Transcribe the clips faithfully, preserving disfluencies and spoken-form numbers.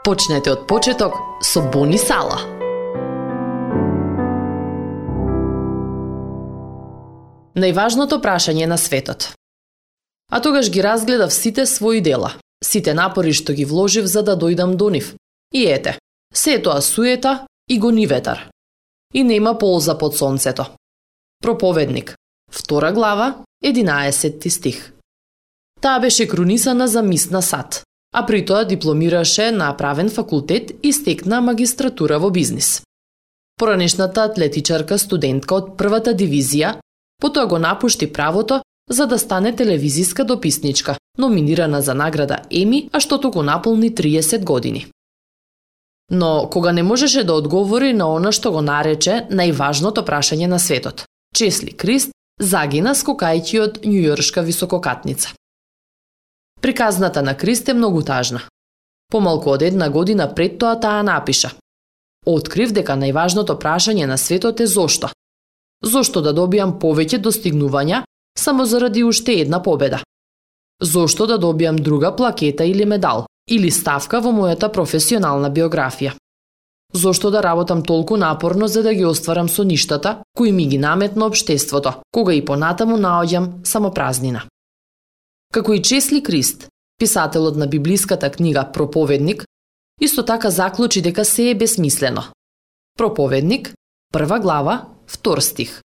Почнете од почеток со Бони Сала. Најважното прашање на светот. А тогаш ги разгледав сите своји дела, сите напори што ги вложив за да дојдам до нив. И ете, се е тоа суета и гони ветар. И нема полза под сонцето. Проповедник, втора глава, единаесетти стих. Таа беше крунисана за мис на сад, а при тоа дипломираше на правен факултет и стекна магистратура во бизнис. Поранешната атлетичарка студентка од првата дивизија, потоа го напушти правото за да стане телевизиска дописничка, номинирана за награда Еми, а што току наполни триесет години. Но кога не можеше да одговори на она што го нарече најважното прашање на светот, Чесли Крист загина скокајќи од њујоршка висококатница. Приказната на Крист е многу тажна. Помалку од една година пред тоа таа напиша: Открив дека најважното прашање на светот е зошто. Зошто да добијам повеќе достигнувања само заради уште една победа? Зошто да добијам друга плакета или медал, или ставка во мојата професионална биографија? Зошто да работам толку напорно за да ги остварам соништата кои ми ги наметна општеството, кога и понатаму наоѓам само празнина? Како и Чесли Крист, писателот на библиската книга Проповедник, исто така заклучи дека се е безсмислено. Проповедник, прва глава, втор стих.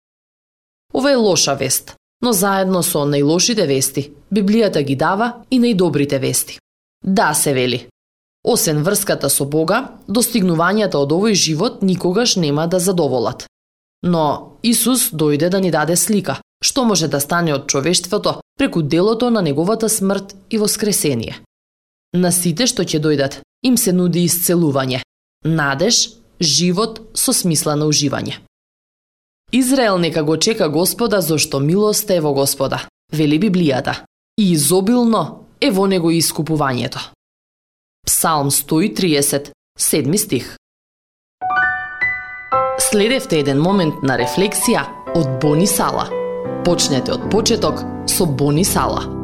Ова е лоша вест, но заедно со најлошите вести, Библијата ги дава и најдобрите вести. Да, се вели. Освен врската со Бога, достигнувањата од овој живот никогаш нема да задоволат. Но Исус дојде да ни даде слика, што може да стане од човештвото преку делото на неговата смрт и воскресение. На сите што ќе дојдат, им се нуди исцелување, надеж, живот со смисла на уживање. Израел нека го чека Господа, зашто милост е во Господа, вели Библијата, и изобилно е во него искупувањето. Псалм сто и триесет, седми стих. Следевте еден момент на рефлексија од Бони Сала. Почнете од почеток со Бони Сала.